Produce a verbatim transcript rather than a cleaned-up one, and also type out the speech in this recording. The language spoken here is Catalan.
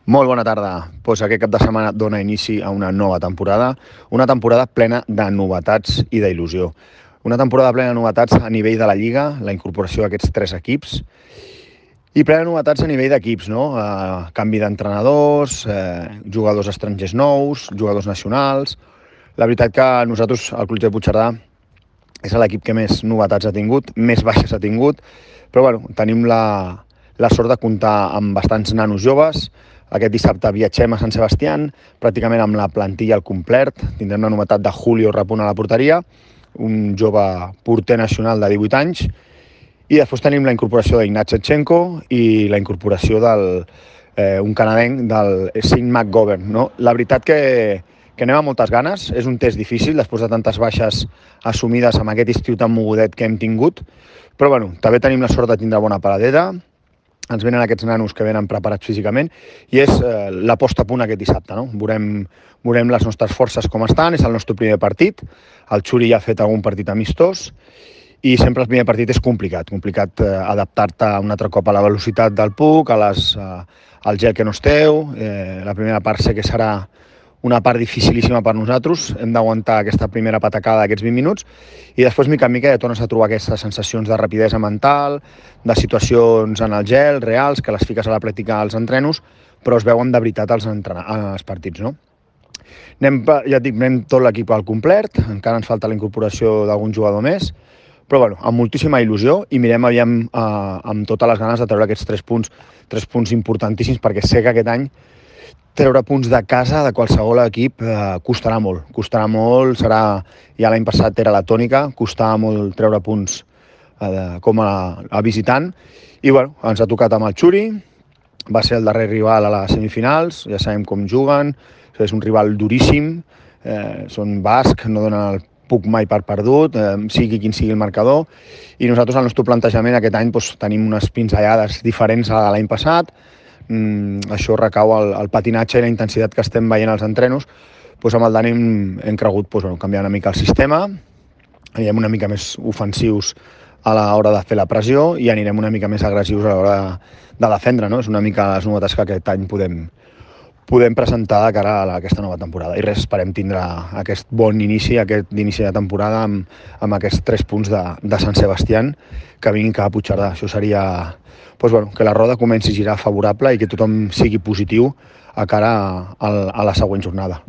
Molt bona tarda. Pues aquest cap de setmana dona inici a una nova temporada, una temporada plena de novetats i d'il·lusió. Una temporada plena de novetats a nivell de la Lliga, la incorporació d'aquests tres equips, i plena de novetats a nivell d'equips, no? Eh, canvi d'entrenadors, eh, jugadors estrangers nous, jugadors nacionals. La veritat que nosaltres, el Club de Puigcerdà, és l'equip que més novetats ha tingut, més baixes ha tingut, però bueno, tenim la, la sort de comptar amb bastants nanos joves. Aquest dissabte viatgem a Sant Sebastián, pràcticament amb la plantilla al complet. Tindrem la novetat de Julio Rapun a la porteria, un jove porter nacional de divuit anys, i després tenim la incorporació d'Ignat Shevchenko i la incorporació del eh, un canadenc del Sean McGovern. No? La veritat que, que anem amb moltes ganes, és un test difícil després de tantes baixes assumides amb aquest estiu tan mogudet que hem tingut, però bueno, també tenim la sort de tindre bona paradera, ens venen aquests nanos que venen preparats físicament i és eh, la posta a punt aquest dissabte. No? Veurem, veurem les nostres forces com estan, és el nostre primer partit, el Xuri ja ha fet algun partit amistós i sempre el primer partit és complicat, complicat eh, adaptar-te un altre cop a la velocitat del puck, a les, eh, al gel que no esteu, eh, la primera part sé que serà una part dificilíssima per nosaltres, hem d'aguantar aquesta primera patacada d'aquests vint minuts i després, mica en mica, ja tornes a trobar aquestes sensacions de rapidesa mental, de situacions en el gel, reals, que les fiques a la pràctica als entrenos, però es veuen de veritat als, als partits, no? Anem, ja et dic, anem tot l'equip al complet, encara ens falta la incorporació d'algun jugador més, però bueno, amb moltíssima il·lusió i mirem aviam eh, amb totes les ganes de treure aquests tres punts, tres punts importantíssims, perquè sé que aquest any treure punts de casa de qualsevol equip eh, costarà molt, costarà molt, serà, ja l'any passat era la tònica, costava molt treure punts eh, com a, a visitant, i bueno, ens ha tocat amb el Xuri, va ser el darrer rival a les semifinals, ja sabem com juguen, és un rival duríssim, eh, són basc, no donen el puc mai per perdut, eh, sigui quin sigui el marcador, i nosaltres al nostre plantejament aquest any doncs, tenim unes pinzellades diferents a l'any passat. Mm, això recau al, al patinatge i la intensitat que estem veient als entrenos. Doncs amb el Dani hem, hem cregut doncs, bueno, canviar una mica el sistema, anirem una mica més ofensius a l'hora de fer la pressió i anirem una mica més agressius a l'hora de, de defendre, no? És una mica les novetats que aquest any podem, podem presentar de cara a aquesta nova temporada. I res, esperem tindre aquest bon inici, aquest inici de temporada amb, amb aquests tres punts de, de Sant Sebastián que vinguin cap a Puigcerdà. Això seria doncs, bueno, que la roda comenci a girar favorable i que tothom sigui positiu a cara a, a la següent jornada.